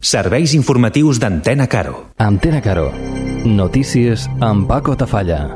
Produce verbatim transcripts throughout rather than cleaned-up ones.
Serveis informatius d'Antena Caro. Antena Caro. Notícies amb Paco Tafalla.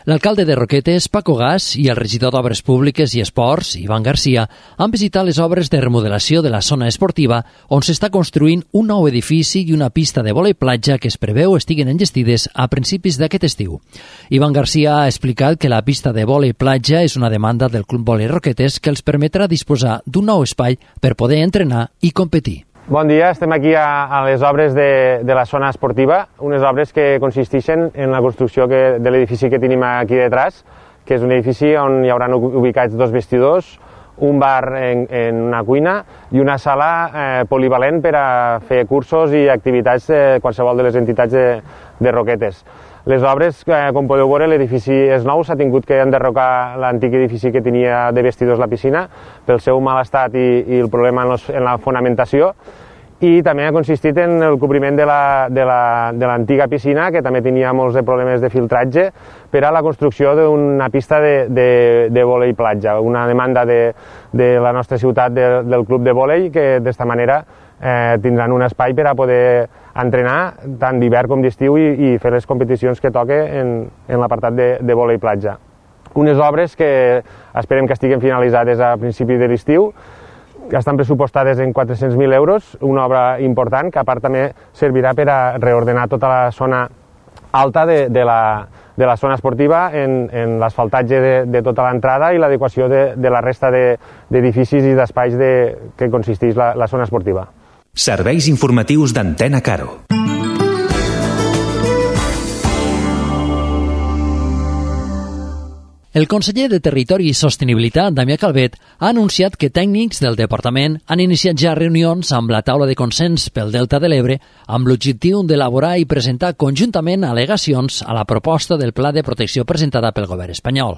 L'alcalde de Roquetes, Paco Gas, i el regidor d'Obres Públiques i Esports, Ivan Garcia, han visitat les obres de remodelació de la zona esportiva on s'està construint un nou edifici i una pista de vòlei platja que es preveu estiguen enllestides a principis d'aquest estiu. Ivan Garcia ha explicat que la pista de vòlei platja és una demanda del Club Vòlei Roquetes que els permetrà disposar d'un nou espai per poder entrenar i competir. Bon dia, estem aquí a, a les obres de, de la zona esportiva, unes obres que consisteixen en la construcció que, de l'edifici que tenim aquí detrás, que és un edifici on hi haurà ubicats dos vestidors, un bar en, en una cuina i una sala eh, polivalent per a fer cursos i activitats de qualsevol de les entitats de, de Roquetes. Les obres, eh, com podeu veure, l'edifici és nou, s'ha tingut que enderrocar l'antic edifici que tenia de vestidors la piscina pel seu mal estat i, i el problema en, los, en la fonamentació, i també ha consistit en el cobriment de la, de la, de l'antiga piscina, que també tenia molts de problemes de filtratge, per a la construcció d'una pista de, de, de vòlei platja, una demanda de, de la nostra ciutat de, del club de vòlei, que d'esta manera eh, tindran un espai per a poder entrenar tant d'hivern com d'estiu i, i fer les competicions que toque en, en l'apartat de, de vòlei platja. Unes obres que esperem que estiguen finalitzades a principi de l'estiu, que estan pressupostades en quatre-cents mil euros, una obra important que a part també servirà per a reordenar tota la zona alta de, de, la, de la zona esportiva en, en l'asfaltatge de, de tota l'entrada i l'adequació de, de la resta d'edificis de, i d'espais de, que consisteix la, la zona esportiva. Serveis informatius d'Antena Caro. El conseller de Territori i Sostenibilitat, Damià Calvet, ha anunciat que tècnics del departament han iniciat ja reunions amb la taula de consens pel Delta de l'Ebre amb l'objectiu d'elaborar i presentar conjuntament al·legacions a la proposta del Pla de Protecció presentada pel govern espanyol.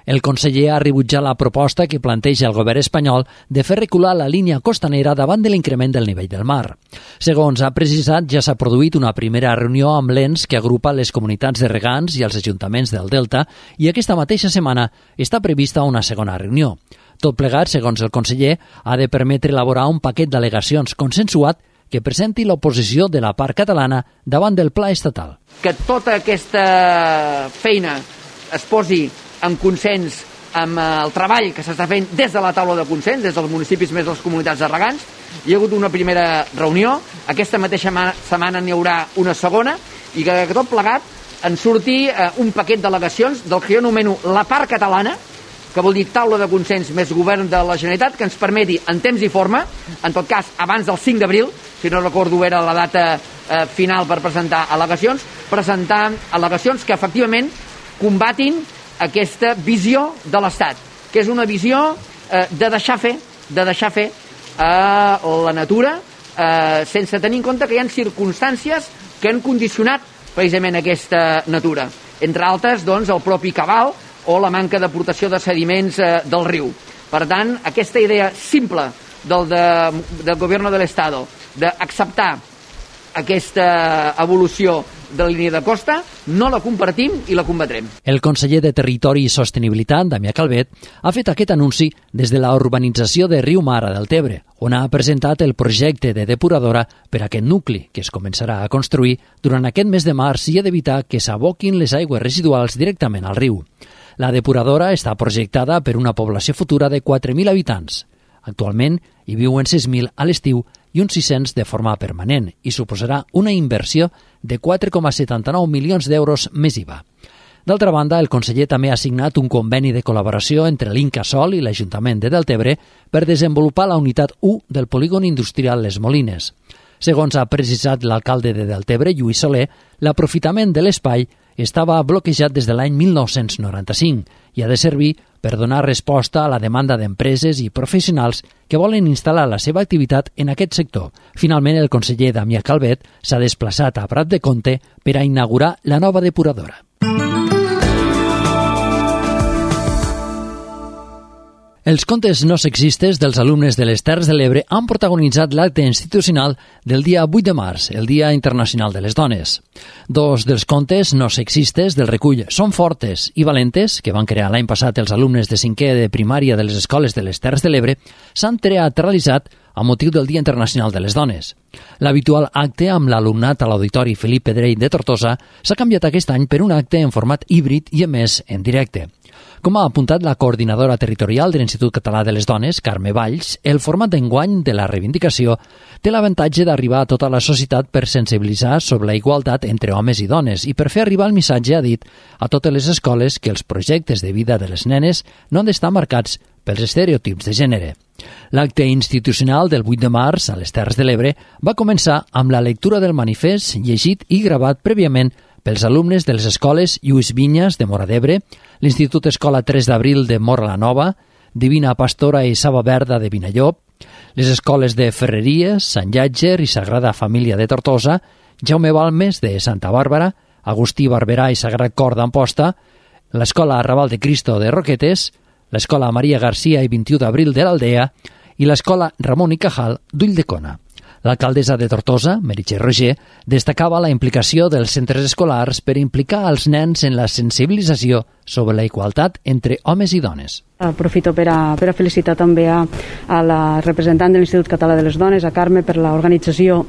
El conseller ha rebutjat la proposta que planteja el govern espanyol de fer recular la línia costanera davant de l'increment del nivell del mar. Segons ha precisat, ja s'ha produït una primera reunió amb l'ens que agrupa les comunitats de regants i els ajuntaments del Delta i aquesta mateixa setmana setmana està prevista una segona reunió. Tot plegat, segons el conseller, ha de permetre elaborar un paquet d'al·legacions consensuat que presenti l'oposició de la part catalana davant del pla estatal. Que tota aquesta feina es posi en consens amb el treball que s'està fent des de la taula de consens, des dels municipis més les comunitats de regants. Hi ha hagut una primera reunió, aquesta mateixa setmana n'hi haurà una segona, i que tot plegat en surti eh, un paquet d'al·legacions del que jo anomeno la part catalana, que vol dir taula de consens més govern de la Generalitat, que ens permeti en temps i forma, en tot cas abans del cinc d'abril, si no recordo era la data eh, final per presentar al·legacions, presentar al·legacions que efectivament combatin aquesta visió de l'Estat, que és una visió eh, de deixar fer, de deixar fer a la natura eh, sense tenir en compte que hi ha circumstàncies que han condicionat precisament aquesta natura. Entre altres, doncs, el propi cabal o la manca d'aportació de sediments eh, del riu. Per tant, aquesta idea simple del, de, del Gobierno de l'Estado d'acceptar aquesta evolució de la línia de costa, no la compartim i la combatrem. El conseller de Territori i Sostenibilitat, Damià Calvet, ha fet aquest anunci des de la urbanització de Riu Mar a Deltebre, on ha presentat el projecte de depuradora per a aquest nucli, que es començarà a construir durant aquest mes de març i ha d'evitar que s'aboquin les aigües residuals directament al riu. La depuradora està projectada per una població futura de quatre mil habitants. Actualment hi viuen sis mil a l'estiu i uns sis-cents de forma permanent i suposarà una inversió de quatre coma setanta-nou milions d'euros més I V A. D'altra banda, el conseller també ha signat un conveni de col·laboració entre l'Incasòl i l'Ajuntament de Deltebre per desenvolupar la unitat u del polígon industrial Les Molines. Segons ha precisat l'alcalde de Deltebre, Lluís Soler, l'aprofitament de l'espai estava bloquejat des de l'any mil nou-cents noranta-cinc i ha de servir per donar resposta a la demanda d'empreses i professionals que volen instal·lar la seva activitat en aquest sector. Finalment, el conseller Damià Calvet s'ha desplaçat a Prat de Comte per a inaugurar la nova depuradora. Els contes no sexistes dels alumnes de les Terres de l'Ebre han protagonitzat l'acte institucional del dia vuit de març, el Dia Internacional de les Dones. Dos dels contes no sexistes del recull Són fortes i valentes, que van crear l'any passat els alumnes de cinquè de primària de les escoles de les Terres de l'Ebre, s'han teatralitzat a motiu del Dia Internacional de les Dones. L'habitual acte amb l'alumnat a l'Auditori Felip Pedrell de Tortosa s'ha canviat aquest any per un acte en format híbrid i emès en directe. Com ha apuntat la coordinadora territorial de l'Institut Català de les Dones, Carme Valls, el format d'enguany de la reivindicació té l'avantatge d'arribar a tota la societat per sensibilitzar sobre la igualtat entre homes i dones i per fer arribar el missatge, ha dit, a totes les escoles que els projectes de vida de les nenes no han d'estar marcats pels estereotips de gènere. L'acte institucional del vuit de març a les Terres de l'Ebre va començar amb la lectura del manifest llegit i gravat prèviament pels alumnes de les escoles Lluís Vinyes de Móra d'Ebre, l'Institut Escola tres d'abril de Móra la Nova, Divina Pastora i Saba Verda de Vinallop, les escoles de Ferreries, Sant Llàtzer i Sagrada Família de Tortosa, Jaume Balmes de Santa Bàrbara, Agustí Barberà i Sagrat Cor d'Amposta, l'Escola Arrabal de Cristo de Roquetes, l'Escola Maria Garcia i vint-i-u d'abril de l'Aldea i l'Escola Ramon i Cajal d'Ulldecona. L'alcaldessa de Tortosa, Meritxell Roger, destacava la implicació dels centres escolars per implicar els nens en la sensibilització sobre la igualtat entre homes i dones. Aprofito per a, per a felicitar també a, a la representant de l'Institut Català de les Dones, a Carme, per l'organització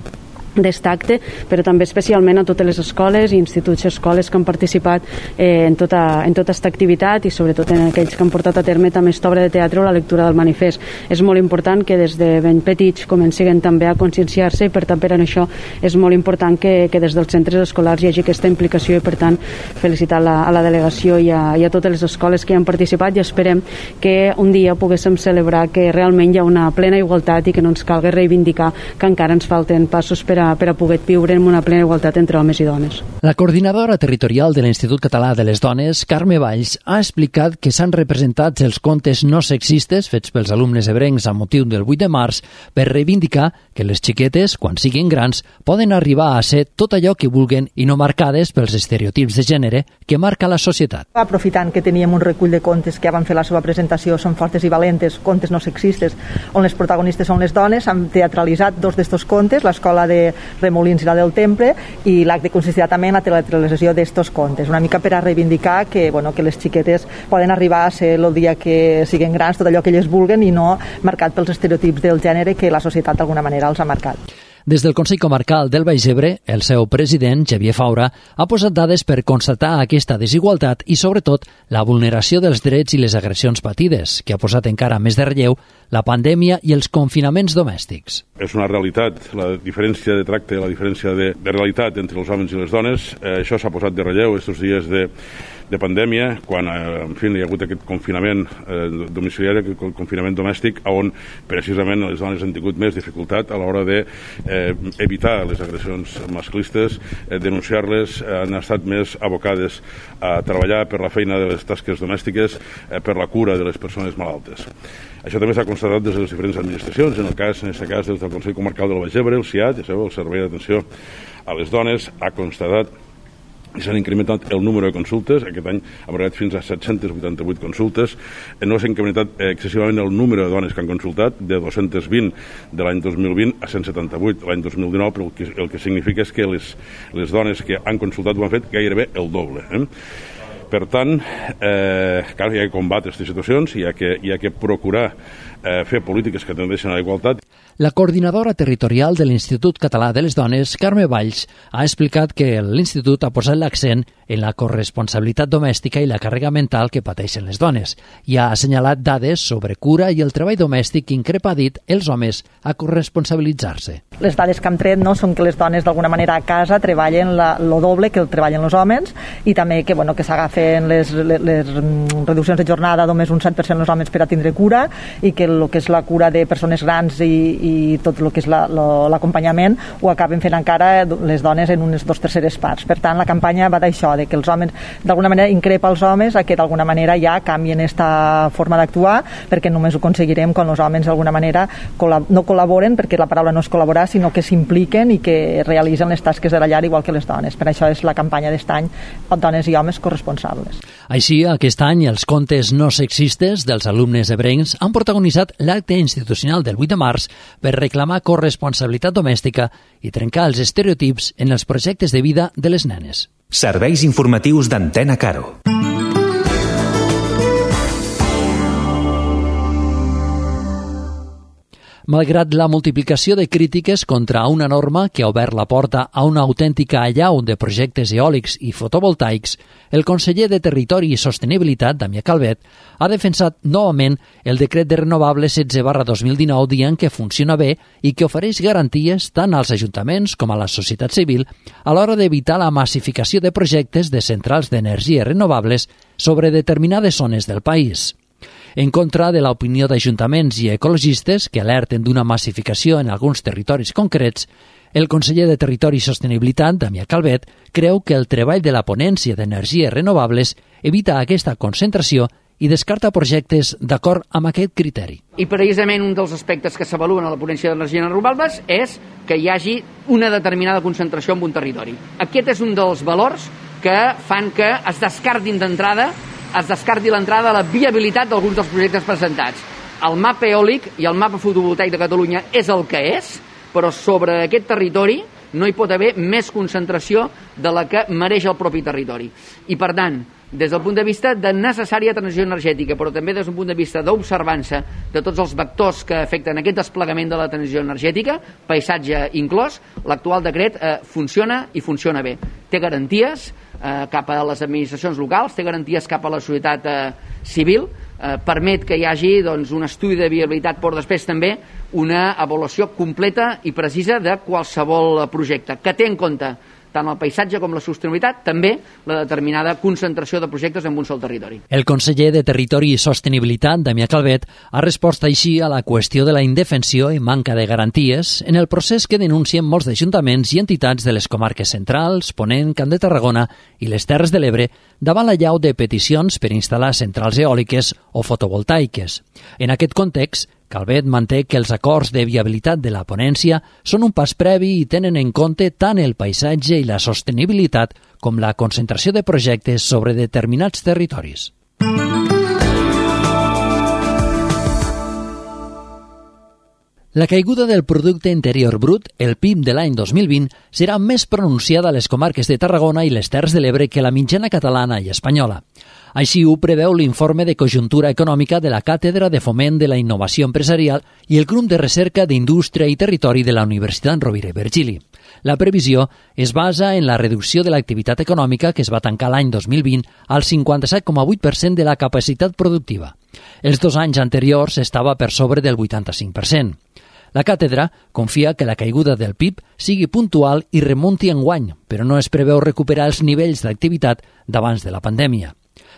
d'aquest acte, però també especialment a totes les escoles i instituts i escoles que han participat eh, en tota en tota aquesta activitat i sobretot en aquells que han portat a terme també aquesta obra de teatre o la lectura del manifest. És molt important que des de ben petits comencin també a conscienciar-se i per tant per això és molt important que, que des dels centres escolars hi hagi aquesta implicació i per tant felicitar la, a la delegació i a, i a totes les escoles que hi han participat i esperem que un dia poguéssim celebrar que realment hi ha una plena igualtat i que no ens calgui reivindicar que encara ens falten passos per a per a poder viure en una plena igualtat entre homes i dones. La coordinadora territorial de l'Institut Català de les Dones, Carme Valls, ha explicat que s'han representat els contes no sexistes fets pels alumnes ebrencs a motiu del vuit de març per reivindicar que les xiquetes, quan siguin grans, poden arribar a ser tot allò que vulguen i no marcades pels estereotips de gènere que marca la societat. Aprofitant que teníem un recull de contes que ja van fer la seva presentació, Són fortes i valentes, contes no sexistes, on les protagonistes són les dones, han teatralitzat dos d'estos contes, l'escola de Remolins i la del Temple, i l'acte consistirà també en la teatralització d'estos contes, una mica per a reivindicar que, bueno, que les xiquetes poden arribar a ser el dia que siguin grans tot allò que elles vulguen i no marcat pels estereotips del gènere que la societat d'alguna manera els ha marcat. Des del Consell Comarcal del Baix Ebre, el seu president, Xavier Faura, ha posat dades per constatar aquesta desigualtat i, sobretot, la vulneració dels drets i les agressions patides, que ha posat encara més de relleu la pandèmia i els confinaments domèstics. És una realitat, la diferència de tracte, la diferència de, de realitat entre els homes i les dones. Eh, això s'ha posat de relleu aquests dies de, de pandèmia, quan eh, en fi, hi ha hagut aquest confinament eh, domiciliari, aquest confinament domèstic, on precisament les dones han tingut més dificultat a l'hora de eh, evitar les agressions masclistes, eh, denunciar-les, eh, han estat més abocades a treballar per la feina de les tasques domèstiques, eh, per la cura de les persones malaltes. Això també s'ha constatat des de les diferents administracions, en el cas, en aquest cas, des del Consell Comarcal del Baix Ebre, el C I A T, ja sabeu, el Servei d'Atenció a les Dones, ha constatat i s'han incrementat el número de consultes. Aquest any hem arribat fins a set-cents vuitanta-vuit consultes. No s'ha incrementat excessivament el número de dones que han consultat, de dos-cents vint de l'any dos mil vint a cent setanta-vuit l'any dos mil dinou, però el que, el que significa és que les, les dones que han consultat ho han fet gairebé el doble. Eh? Per tant, eh, clar, hi ha que combatre aquestes situacions, hi ha que, hi ha que procurar eh, fer polítiques que tendeixen a la igualtat. La coordinadora territorial de l'Institut Català de les Dones, Carme Valls, ha explicat que l'Institut ha posat l'accent en la corresponsabilitat domèstica i la càrrega mental que pateixen les dones i ha assenyalat dades sobre cura i el treball domèstic que increpa, ha dit, els homes a corresponsabilitzar-se. Les dades que hem tret no són que les dones d'alguna manera a casa treballen la, lo doble que el treballen els homes i també que, bueno, que s'agafen les, les, les reduccions de jornada només un set per cent els homes per a tindre cura i que el que és la cura de persones grans i, i tot el que és l'acompanyament la, ho acaben fent encara les dones en unes dos terceres parts. Per tant, la campanya va d'això, de que els homes d'alguna manera increpa els homes a que d'alguna manera ja canvien aquesta forma d'actuar, perquè només ho aconseguirem quan els homes d'alguna manera no col·laboren, perquè la paraula no és col·laborar, sinó que s'impliquen i que realitzen les tasques de la llar igual que les dones. Per això és la campanya d'est any, dones i homes corresponsables. Així, aquest any, els contes no sexistes dels alumnes ebrencs han protagonitzat l'acte institucional del vuit de març per reclamar corresponsabilitat domèstica i trencar els estereotips en els projectes de vida de les nenes. Serveis informatius d'Antena Caro. Malgrat la multiplicació de crítiques contra una norma que ha obert la porta a una autèntica allau de projectes eòlics i fotovoltaics, el conseller de Territori i Sostenibilitat, Damià Calvet, ha defensat novament el decret de renovables setze barra dos mil dinou dient que funciona bé i que ofereix garanties tant als ajuntaments com a la societat civil a l'hora d'evitar la massificació de projectes de centrals d'energies renovables sobre determinades zones del país. En contra de l'opinió d'ajuntaments i ecologistes que alerten d'una massificació en alguns territoris concrets, el conseller de Territori i Sostenibilitat, Damià Calvet, creu que el treball de la ponència d'energies renovables evita aquesta concentració i descarta projectes d'acord amb aquest criteri. I precisament un dels aspectes que s'avaluen a la ponència d'energies renovables és que hi hagi una determinada concentració en un territori. Aquest és un dels valors que fan que es descartin d'entrada es descarti l'entrada a la viabilitat d'alguns dels projectes presentats. El mapa eòlic i el mapa fotovoltaic de Catalunya és el que és, però sobre aquest territori no hi pot haver més concentració de la que mereix el propi territori. I, per tant, des del punt de vista de necessària transició energètica, però també des del punt de vista d'observança de tots els vectors que afecten aquest desplegament de la transició energètica, paisatge inclòs, l'actual decret eh, funciona i funciona bé. Té garanties eh, cap a les administracions locals, té garanties cap a la societat eh, civil, eh, permet que hi hagi doncs, un estudi de viabilitat, però després també una avaluació completa i precisa de qualsevol projecte, que té en compte tant el paisatge com la sostenibilitat, també la determinada concentració de projectes en un sol territori. El conseller de Territori i Sostenibilitat, Damià Calvet, ha respost així a la qüestió de la indefensió i manca de garanties en el procés que denuncien molts ajuntaments i entitats de les comarques centrals, Ponent, Camp de Tarragona i les Terres de l'Ebre davant la llau de peticions per instal·lar centrals eòliques o fotovoltaiques. En aquest context, Calvet manté que els acords de viabilitat de la ponència són un pas previ i tenen en compte tant el paisatge i la sostenibilitat com la concentració de projectes sobre determinats territoris. La caiguda del producte interior brut, el P I B de l'any dos mil vint, serà més pronunciada a les comarques de Tarragona i les Terres de l'Ebre que la mitjana catalana i espanyola. Així ho preveu l'informe de conjuntura econòmica de la Càtedra de Foment de la Innovació Empresarial i el Grup de Recerca d'Indústria i Territori de la Universitat Rovira i Virgili. La previsió es basa en la reducció de l'activitat econòmica que es va tancar l'any dos mil vint al cinquanta-set coma vuit per cent de la capacitat productiva. Els dos anys anteriors estava per sobre del vuitanta-cinc per cent. La càtedra confia que la caiguda del P I B sigui puntual i remunti enguany, però no es preveu recuperar els nivells d'activitat d'abans de la pandèmia.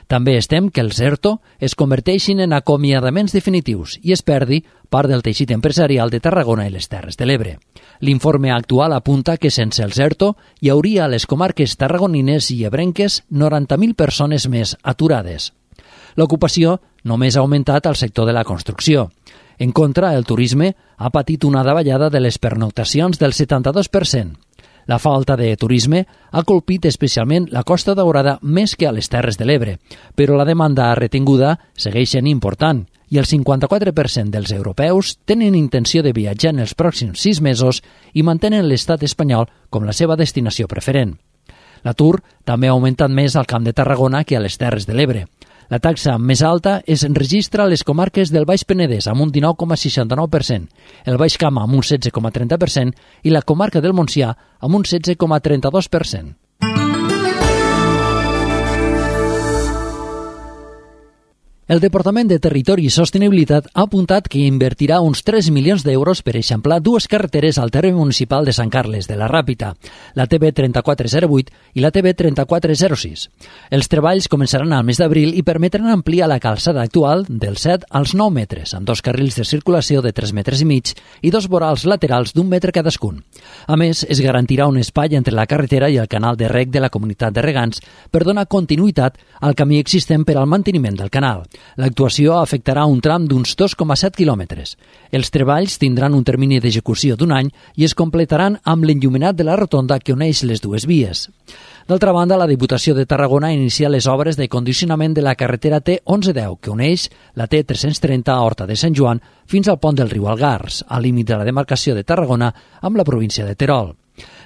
També es tem que els ERTO es converteixin en acomiadaments definitius i es perdi part del teixit empresarial de Tarragona i les Terres de l'Ebre. L'informe actual apunta que sense els ERTO hi hauria a les comarques tarragonines i ebrenques noranta mil persones més aturades. L'ocupació només ha augmentat al sector de la construcció. En contra, el turisme ha patit una davallada de les pernoctacions del setanta-dos per cent. La falta de turisme ha colpit especialment la Costa Daurada més que a les Terres de l'Ebre, però la demanda retinguda segueix sent important i el cinquanta-quatre per cent dels europeus tenen intenció de viatjar en els pròxims sis mesos i mantenen l'estat espanyol com la seva destinació preferent. L'atur també ha augmentat més al Camp de Tarragona que a les Terres de l'Ebre. La taxa més alta es enregistra a les comarques del Baix Penedès amb un dinou coma seixanta-nou per cent, el Baix Camp amb un setze coma trenta per cent i la comarca del Montsià amb un setze coma trenta-dos per cent. El Departament de Territori i Sostenibilitat ha apuntat que invertirà uns tres milions d'euros per eixamplar dues carreteres al terme municipal de Sant Carles de la Ràpita, la T B trenta-quatre zero vuit i la T B trenta-quatre zero sis. Els treballs començaran al mes d'abril i permetran ampliar la calçada actual dels set als nou metres, amb dos carrils de circulació de tres metres i mig i dos vorals laterals d'un metre cadascun. A més, es garantirà un espai entre la carretera i el canal de reg de la comunitat de regants per donar continuïtat al camí existent per al manteniment del canal. L'actuació afectarà un tram d'uns dos coma set quilòmetres. Els treballs tindran un termini d'execució d'un any i es completaran amb l'enllumenat de la rotonda que uneix les dues vies. D'altra banda, la Diputació de Tarragona inicia les obres de condicionament de la carretera T onze deu, que uneix la T tres-cents trenta a Horta de Sant Joan fins al pont del riu Algars, al límit de la demarcació de Tarragona amb la província de Terol.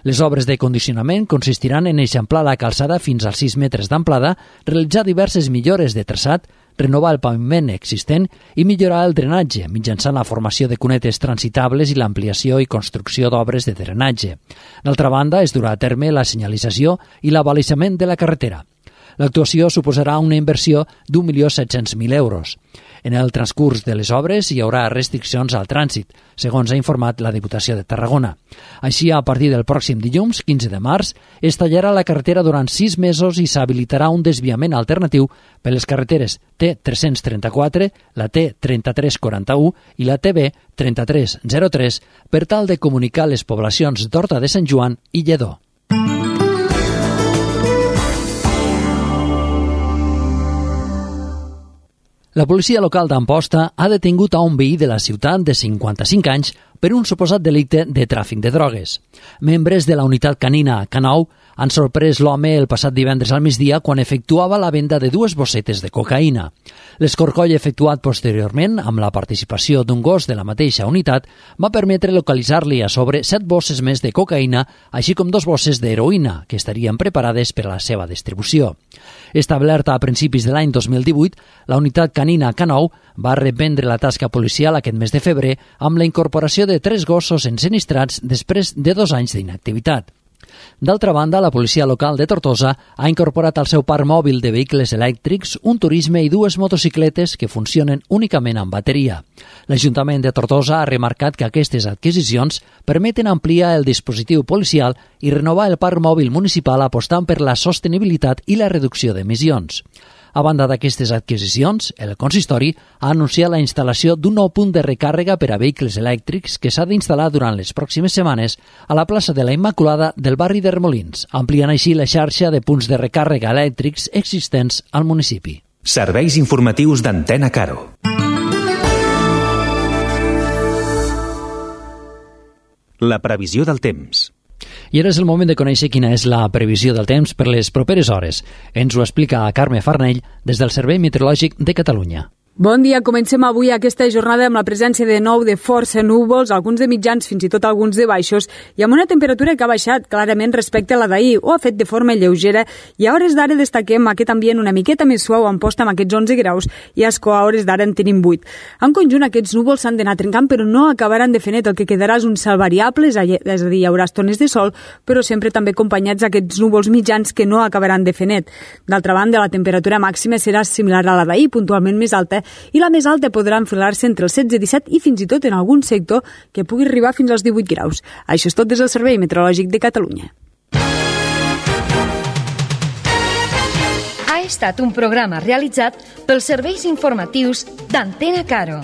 Les obres de condicionament consistiran en eixamplar la calçada fins als sis metres d'amplada, realitzar diverses millores de traçat, renovar el paviment existent i millorar el drenatge mitjançant la formació de cunetes transitables i l'ampliació i construcció d'obres de drenatge. D'altra banda, es durà a terme la senyalització i l'abalisament de la carretera. L'actuació suposarà una inversió d'un milió set-cents mil euros. En el transcurs de les obres hi haurà restriccions al trànsit, segons ha informat la Diputació de Tarragona. Així, a partir del pròxim dilluns, quinze de març, es tallarà la carretera durant sis mesos i s'habilitarà un desviament alternatiu per les carreteres T tres-cents trenta-quatre, la T trenta-tres quaranta-u i la T B trenta-tres zero tres per tal de comunicar les poblacions d'Horta de Sant Joan i Lledó. La policia local d'Amposta ha detingut a un veí de la ciutat de cinquanta-cinc anys per un suposat delicte de tràfic de drogues. Membres de la unitat canina K nou han sorprès l'home el passat divendres al migdia quan efectuava la venda de dues bossetes de cocaïna. L'escorcoll efectuat posteriorment amb la participació d'un gos de la mateixa unitat va permetre localitzar-li a sobre set bosses més de cocaïna, així com dos bosses d'heroïna, que estarien preparades per a la seva distribució. Establerta a principis de l'any dos mil divuit, la unitat canina K nou va reprendre la tasca policial aquest mes de febrer amb la incorporació de tres gossos ensinistrats després de dos anys d'inactivitat. D'altra banda, la policia local de Tortosa ha incorporat al seu parc mòbil de vehicles elèctrics un turisme i dues motocicletes que funcionen únicament amb bateria. L'Ajuntament de Tortosa ha remarcat que aquestes adquisicions permeten ampliar el dispositiu policial i renovar el parc mòbil municipal apostant per la sostenibilitat i la reducció d'emissions. A banda d'aquestes adquisicions, el consistori ha anunciat la instal·lació d'un nou punt de recàrrega per a vehicles elèctrics que s'ha d'instal·lar durant les pròximes setmanes a la plaça de la Immaculada del barri d'Hermolins, ampliant així la xarxa de punts de recàrrega elèctrics existents al municipi. Serveis informatius d'Antena Caro. La previsió del temps. I ara és el moment de conèixer quina és la previsió del temps per les properes hores. Ens ho explica Carme Farnell des del Servei Meteorològic de Catalunya. Bon dia, comencem avui aquesta jornada amb la presència de nou de força núvols, alguns de mitjans, fins i tot alguns de baixos, i amb una temperatura que ha baixat clarament respecte a la d'ahir, o ha fet de forma lleugera, i a hores d'ara destaquem aquest ambient una miqueta més suau a Amposta amb aquests onze graus, i a Ascó a hores d'ara en tenim vuit. En conjunt, aquests núvols s'han d'anar trencant, però no acabaran de fer net, el que quedarà és un cel variable, és a dir, hi haurà estones de sol, però sempre també acompanyats d'aquests núvols mitjans que no acabaran de fer net. D'altra banda, la temperatura màxima serà similar a la d'ahir, puntualment més alta, i la més alta podrà enfilar-se entre els setze i disset i fins i tot en algun sector que pugui arribar fins als divuit graus. Això és tot des del Servei Meteorològic de Catalunya. Ha estat un programa realitzat pels serveis informatius d'Antena Caro.